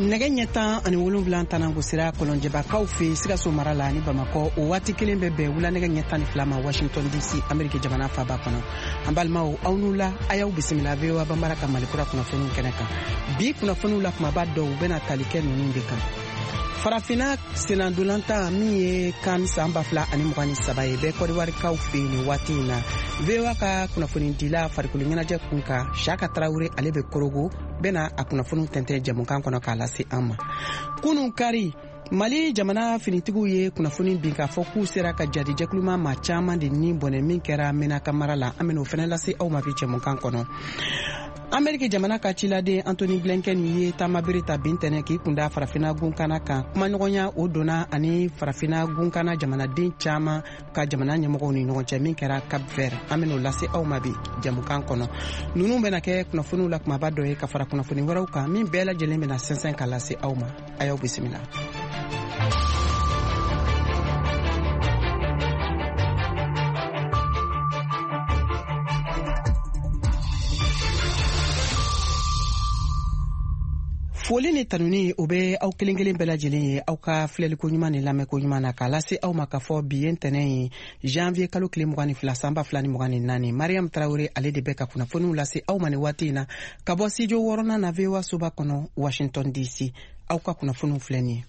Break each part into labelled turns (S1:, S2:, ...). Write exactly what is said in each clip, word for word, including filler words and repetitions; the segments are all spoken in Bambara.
S1: Nɛgɛ ɲɛ tan ani wolonwula tan gosira Kɔlɔnjɛbakaw fɛ Sikaso mara la ni Bamakɔ, o waati kelen bɛ bɛn wula nɛgɛ ɲɛ tan ni fila ma Washington D C, Ameriki jamana faba kɔnɔ. An balimaw, aw n'u la, a y'aw bisimila V O A Banbara ka Malikura kunnafoniw kɛnɛ kan. Bi kunnafoniw la, kumaba dɔw bɛna tali kɛ ninnu de kan: Farafinna sennadolantan min ye CAN san ba fila ani mugan ni saba ye bɛ Kɔdiwarikaw fɛ yen nin waati in na. V O A ka kunnafonidila farikolo ɲɛnajɛ kun kan, Siyaka Tarawele, ale bɛ Korogo, bɛna a kunnafoniw tɛntɛn jɛmukan kɔnɔ k'a lase an ma. Kunun kari, Mali jamana finitigiw ye kunnafoni bin k'a fɔ k'u sera ka jadijɛkuluma maa caman de ni bɔnɛ min kɛra Menaka mara la. An bɛn'o fɛnɛ lase aw ma bi jɛmukan kɔnɔ. Ameriki jamana ka ciladen Antony Blinken ye taamabere ta bi ntɛnɛ k'i kunda Farafina gunkana kan. Kumaɲɔgɔnya o donna ani Farafina gunkana jamanaden caman ka jamana ɲɛmɔgɔw ni ɲɔgɔn cɛ min kɛra Cap Vert, an ben'o lase aw ma bi jɛmukan kɔnɔ. Nunu bena kɛ kunnafoniw la kumaba dɔ ye ka fara kunnafoni wɛrɛw kan min bɛɛ lajɛlen bena sɛnsɛn ka lase aw ma. A y'aw bisimila. Foli ni tanuni o bɛ aw kelen kelen bɛɛ lajɛlen ye aw ka filɛliko ɲuman ni lamɛnko ɲuman na, k'a lase aw ma k'a fɔ bi ye ntɛnɛn ye, janvier kalo tile mugan ni fila, san ba fila ni mugan ni naani. Mariam Tarawele, ale de bɛ ka kunnafoniw lase aw ma ni waati in na ka bɔ studio wɔɔrɔnan na, V O A soba kɔnɔ, Washington D C. Aw ka kunnafoniw filɛ nin ye: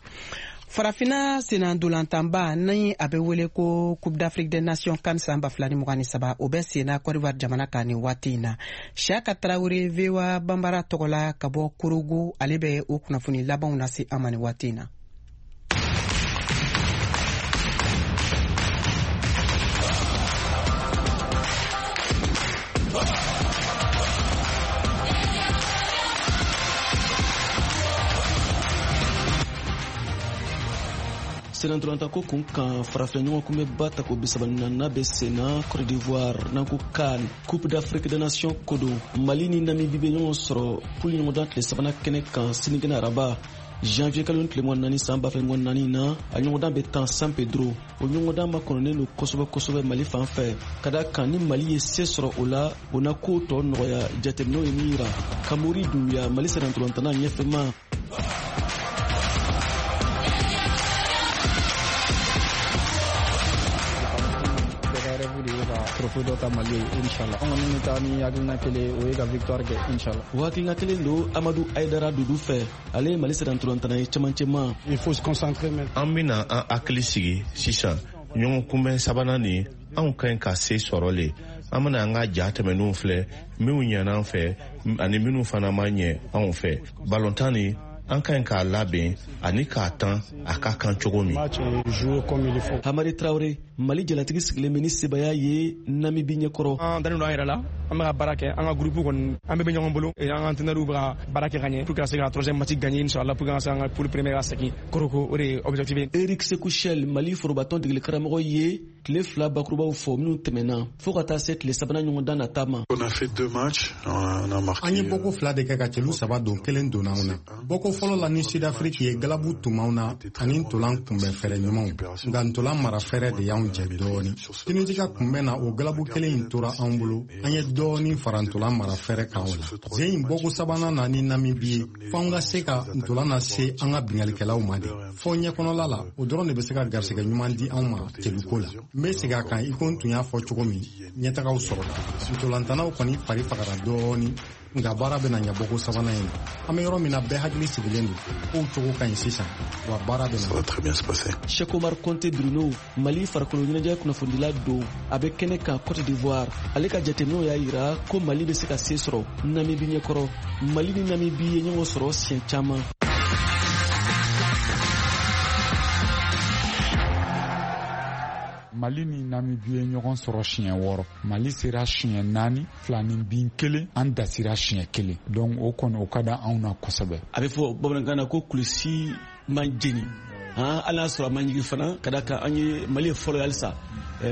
S1: Farafina sennadolantanba ni a bɛ wele ko Coupe d'Afrique des Nations CAN san ba fila ni mugan ni saba, o bɛ senna Côte d'Ivoire jamana kan nin waati in na. Siaka Tarawele, V O A Banbara tɔgɔ la ka bɔ Korogo, ale bɛ o kunnafoni labanw lase an ma nin waati in na.
S2: Senantolantako kun kan, farafina ɲɔgɔn kunbɛba tako bisaba ni naaninan bɛ senna Côte d'Ivoire n'an ko CAN, Coupe d'Afrique des Nations ko don. Mali ni Namibi bɛ ɲɔgɔn sɔrɔ poule ɲɔgɔndan tile sabanan kɛnɛ kan sinikɛnɛ araba, janvier kalo tile mugan naani, san ba fila mugan naani na. A ɲɔgɔndan bɛ tan San Pedro. O ɲɔgɔndan makɔnɔnen don kosɛbɛ kosɛbɛ Mali fan fɛ, ka da kan ni Mali ye se sɔrɔ o la, o na kow tɔ nɔgɔya. Jateminɛw ye min yira, Kamori Dunbiya, Mali sennantolantana ɲɛfɛma.
S3: Trophée dɔ ta Mali ye, inshallah. An kɔni bɛ taa ni hakilina kelen, o ye ka victoire kɛ, inshallah.
S2: O hakilina kelen don Amadu Ayidara Dudu fɛ, ale ye Mali sennantolantana ye cɛmancɛma.
S4: Il faut se concentrer maintenant.
S5: An bena an hakili sigi sisan. Ɲɔgɔn kunbɛn sabanan nin, anw ka ɲi ka se sɔrɔ le. An bena an ka ja tɛmɛninw filɛ, minw ɲɛna an fɛ ani minw fana ma ɲɛ anw fɛ. Balontan nin, an ka ɲi k'a labɛn ani k'a tan a ka kan cogo min.
S4: Match et jouer comme il faut.
S2: Hamari Tarawele, Mali jalatigi sigilen bɛ ni sebaya ye Namibi ɲɛkɔrɔ.
S6: An dalen don an yɛrɛ la, an bɛ ka baara kɛ, an ka groupe kɔni, an bɛɛ bɛ ɲɔgɔn bolo, an ka entraîneur bɛ ka baara kɛ ka ɲɛ pour que ka se ka troisième match gagner, inchallah, pour que an ka se an ka poule première ka segin Korhogo, o de ye objectif ye.
S2: Eric Sekou Chelle, Mali forobatɔn degeli karamɔgɔ ye tile fila bakurubaw fɔ minnu tɛmɛna fɔɔ ka taa se tile sabanan ɲɔgɔndan nata ma.
S7: On a fait deux matchs, on a marqué.
S8: An ye bɔko fila de kɛ ka celu saba don, kelen donna anw na. Bɔko fɔlɔ la ni Sudafiriki ye, galabu tun b'anw na ani ntolan kunbɛn fɛɛrɛ ɲumanw, nka ntolan mara fɛɛrɛ de y'anw jɛ dɔɔni. Tunisi ka kunbɛn na, o galabu kelen in tora anw bolo, an ye dɔɔni fara ntolan mara fɛɛrɛ kan. O la zen in, bɔko sabanan na ni Namibi ye, f'anw ka se ka ntolan lase an ka bingalikɛlaw ma de fɔ ɲɛkɔnɔla la. O dɔrɔn de bɛ se ka garisɛgɛ ɲuman di anw ma celuko la. N bɛ segin a kan, i ko n tun y'a fɔ cogo min, ɲɛtagaw sɔrɔla, ntolantanaw kɔni fari fagara dɔɔni, nka baara bɛna ɲɛ bɔko sabanan in na. An bɛ yɔrɔ min na, bɛɛ hakili sigilen don, kow cogo ka ɲi sisan, wa baara bɛna.
S7: Ça va très bien se passer.
S2: Cheikh Omar Conte Bruno, Mali farikolo ɲɛnajɛ kunnafonidila don, a bɛ kɛnɛ kan Cote d'Ivoire. Ale ka jateminɛw y'a yira ko Mali bɛ se ka se sɔrɔ Namibi ɲɛkɔrɔ. Mali ni Namibi ye ɲɔgɔn sɔrɔ siɲɛ caman.
S9: Mali ni Namibi ye ɲɔgɔn sɔrɔ siɲɛ wɔɔrɔ, Mali sera siɲɛ naani, fila ni bin kelen, an dasira siɲɛ kelen. Donc o kɔni, o ka da anw na kosɛbɛ.
S2: A bɛ fɔ bamanankan na ko kulusi man jeni, hali n'a sɔrɔ a man jigi fana, ka da kan an ye Mali ye fɔlɔ ye halisa.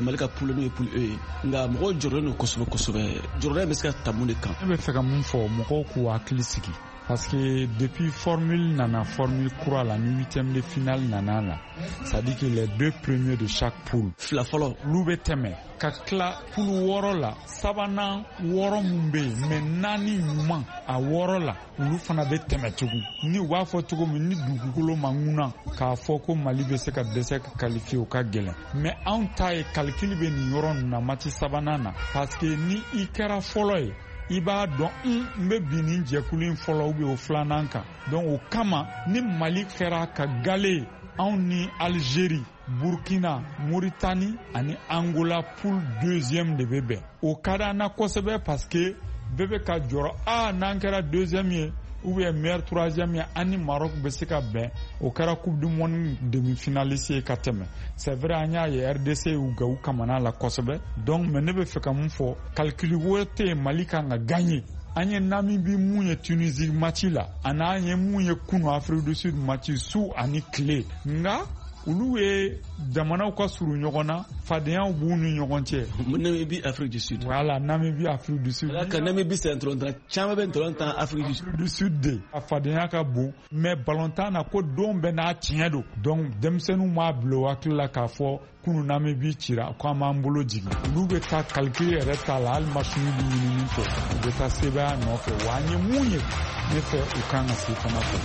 S2: Mali ka poule n'o ye poule E ye, nka mɔgɔw jɔrɔlen don kosɛbɛ kosɛbɛ. Jɔrɔda bɛ se ka ta mun de kan?
S9: Ne bɛ fɛ ka mun fɔ, mɔgɔw k'u hakili sigi, parce que depuis formule nana, formule kura la, ni huitième de finale nana la, c'est-à-dire que les deux premiers de chaque poule,
S2: fila fɔlɔ,
S9: olu bɛ tɛmɛ ka tila poule wɔɔrɔ la. Sabanan wɔɔrɔ mun bɛ yen, mais naani ɲuman a wɔɔrɔ la, olu fana bɛ tɛmɛ tugun. Ni u b'a fɔ cogo min, ni dugukolo ma ŋuna k'a fɔ ko Mali bɛ se ka dɛsɛ ka qualifier, o ka gɛlɛn. Mais anw ta ye calcul bɛ nin yɔrɔ ninnu na match sabanan na, parce que ni i kɛra fɔlɔ ye, i b'a dɔn n bɛ bin nin jɛkulu in fɔlɔ ou bien o filanan kan. Donc o kama, ni Mali kɛra ka gale, anw ni Algérie, Burkina, Mauritanie ani Angola poule deuxième de bɛ bɛn. O ka d'an na kosɛbɛ, parce que bɛɛ bɛ ka jɔrɔ, a n'an kɛra deuxième ye ou bien meilleur troisième ye, an ni Maroc bɛ se ka bɛn. O kɛra Coupe du monde demi-finaliste ye ka tɛmɛ. C'est vrai, an y'a ye R D C y'u ga u kamana la kosɛbɛ. Donc mais ne bɛ fɛ ka mun fɔ, calcul wɛrɛ tɛ yen, Mali kan ka gagner. An ye Namibie mun ye Tunisie match la, ani an ye mun ye kunu Afrique du Sud match, su ani tile, nka olu ye jamanaw ka surun ɲɔgɔn na, fadenyaw b'u ni ɲɔgɔn cɛ.
S2: Namibie, Afrique du Sud.
S9: Voilà, Namibie, Afrique du Sud.
S2: Ka Namibie c'est ntolantan caman bɛ ntolantan Afrique du Sud.
S9: Afrique du Sud de. A fadenya ka bon, mais balontan na ko don bɛɛ n'a tiɲɛ don. Donc denmisɛnninw m'a bila u hakili la k'a fɔ kunu Namibie cira ko an b'an bolo jigin. Olu bɛ taa calcul yɛrɛ t'a la, hali machine bɛ ɲinini kɛ, u bɛ taa sebaaya nɔfɛ. Wa an ye mun ye, ne fɛ u kan ka se fana kɔ.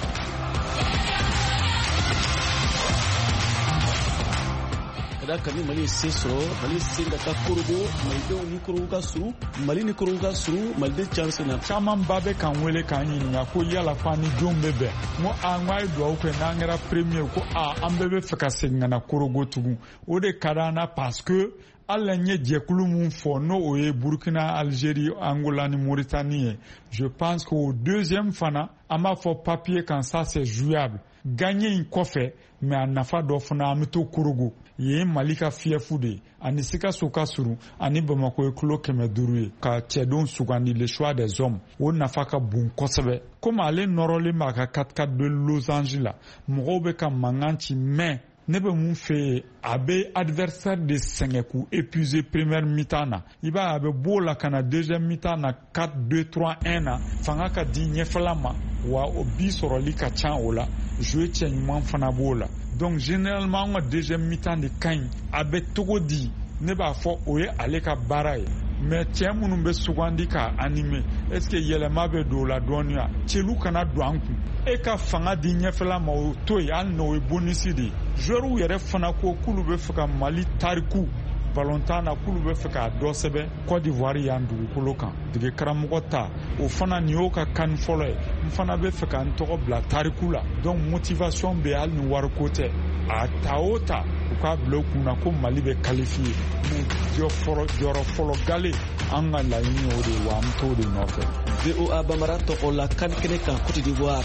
S2: Ka ni Mali ye se sɔrɔ, Mali sen ka taa Korogo, Malidenw ni Korogo ka surun, Mali ni Korogo ka surun, Maliden caman sen na.
S9: Camanba bɛ k'an wele k'an ɲininka ko yala ko an ni jɔn bɛ bɛn. N ko a, n ko a ye dugawu kɛ n'an kɛra premier, ko a an bɛɛ bɛ fɛ ka segin ka na Korogo tugun. O de ka d'an na, parce que hali n ye jɛkulu mun fɔ, n'o o ye Burkina, Algérie, Angola ni Mauritanie ye, je pense qu'au deuxième fana, an b'a fɔ papier kan, ça c'est jouable. Gagner in kɔfɛ, mais a nafa dɔ fana, an bɛ to Korogo. Yen Mali ka fiyefu de ye, ani Sikaso ka surun, ani Bamakɔ ye kilo kɛmɛ duuru ye, ka cɛdenw sugandi, le choix des hommes, o nafa ka bon kosɛbɛ. Komi ale nɔrɔlen b'a ka quatre quatre deux losange la, mɔgɔw bɛ ka mankan ci, mais ne bɛ mun fɛ yen, a bɛ adversaire de sɛgɛn k'u épuiser première mi-temps na. I b'a ye a bɛ b'o la ka na deuxième mi-temps na quatre deux trois un na, fanga ka di ɲɛfɛla ma, wa o bi sɔrɔli ka ca o la, jouer cɛ ɲuman fana b'o la. Donc généralement an ka deuxième mi-temps de ka ɲi. A bɛ cogo di, ne b'a fɔ o ye ale ka baara ye, mais cɛ minnu bɛ sugandi k'a animer, est ce que yɛlɛma bɛ don o la dɔɔni wa? Celu kana don an kun, e ka fanga di ɲɛfɛla ma, o to yen, hali n'o ye bonus de ye. Joueurs yɛrɛ fana ko k'olu bɛ fɛ ka Mali tariku balontan na, k'olu bɛ fɛ k'a dɔ sɛbɛn Côte d'Ivoire yan dugukolo kan. Dege karamɔgɔ ta o fana, nin y'o ka kan fɔlɔ ye, n fana bɛ fɛ ka n tɔgɔ bila tariku la. Donc motivation bɛ, hali ni wariko tɛ, a ta o ta u k'a bila u kun na ko Mali bɛ qualifier. Mais jɔyɔrɔ fɔlɔ gale, an ka laɲini o de ye, wa an bɛ t'o de nɔfɛ.
S2: V O A Bambara tɔgɔ la CAN kɛnɛ kan Côte d'Ivoire,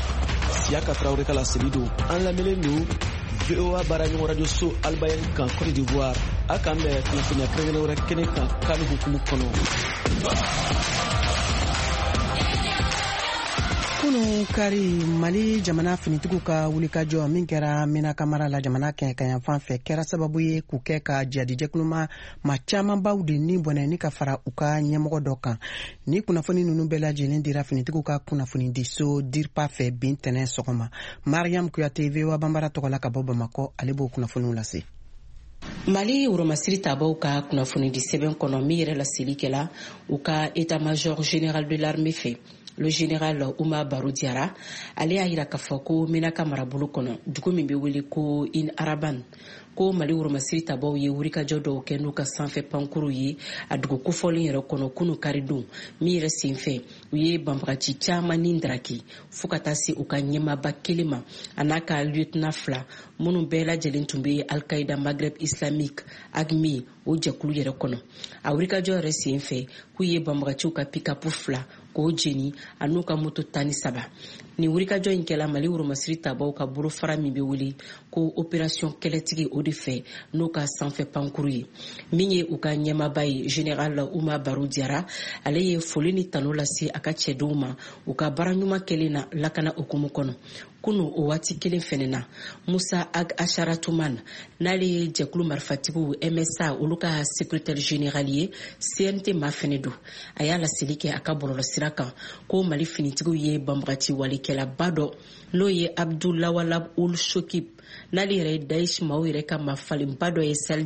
S2: Siaka Traoré ka laseli don. An lamɛnlen don V O A baaraɲɔgɔn radio so Albayan kan Côte d'Ivoire. A k'an bɛn kunnafoniya kɛrɛnkɛrɛn wɛrɛ kɛnɛ kan CAN hukumu kɔnɔ.
S1: Kunu kari, Mali jamana finitigiw ka wulikajɔ min kɛra Menaka mara la jamana kɛɲɛkayanfan fɛ kɛra sababu ye k'u kɛ ka jihadijɛkuluma ma camanbaw de ni bɔnɛ ni ka fara u ka ɲɛmɔgɔ dɔ kan. Ni kunnafoni ninnu bɛɛ lajɛlen dira finitigiw ka kunnafonidiso DIRPA fɛ bin tɛnɛn sɔgɔma. Mariam Kuyate, V O A Bambara tɔgɔ la ka bɔ Bamakɔ, ale b'o kunnafoniw lase.
S10: Mali woromasiri tabaw ka kunnafonidi sɛbɛn kɔnɔ min yɛrɛ laseli kɛla u ka état-major général de l'armée fɛ, le général Oumar Barro Diarra, ale y'a yira k'a fɔ ko Menaka marabolo kɔnɔ, dugu min bɛ wele ko In Araban, ko Mali woromasiri tabaw ye wulikajɔ dɔw kɛ n'u ka sanfɛ pankuru ye a dugu kofɔlen yɛrɛ kɔnɔ kunu karidon min yɛrɛ senfɛ, u ye banbagaci caman ni daraki fo ka taa se u ka ɲɛmaaba kelen ma a n'a ka lieutenant fila minnu bɛɛ lajɛlen tun bɛ Al-Qaïda Maghreb Islamique A G M I o jɛkulu yɛrɛ kɔnɔ. A wulikajɔ yɛrɛ senfɛ, k'u ye banbagaciw ka pick-up fila k'o jeni a n'u ka moto tan ni saba. Nin wulikajɔ in kɛla Mali woromasiri tabaw ka bolofara min bɛ wele ko Opération Kɛlɛtigi, o de fɛ, n'o ka sanfɛ pankuru ye. Min ye u ka ɲɛmaba ye, général Uma Baro Diyara, ale ye foli ni tanu lase a ka cɛdenw ma u ka baara ɲuman kɛlen na lakana hukumu kɔnɔ. Kunu, o waati kelen fɛnɛ na, Musa Ag Asharatuman, n'ale ye jɛkulu marifatigiw M S A, olu ka secrétaire général ye, C N T ma fɛnɛ don, a y'a laseli kɛ a ka bɔlɔlɔsira kan ko Mali finitigiw ye banbagati walekɛlaba dɔ, n'o ye Abdulawalab Ul Shokib, n'ale yɛrɛ ye Daesh maaw yɛrɛ ka mafalenba dɔ ye Sahel.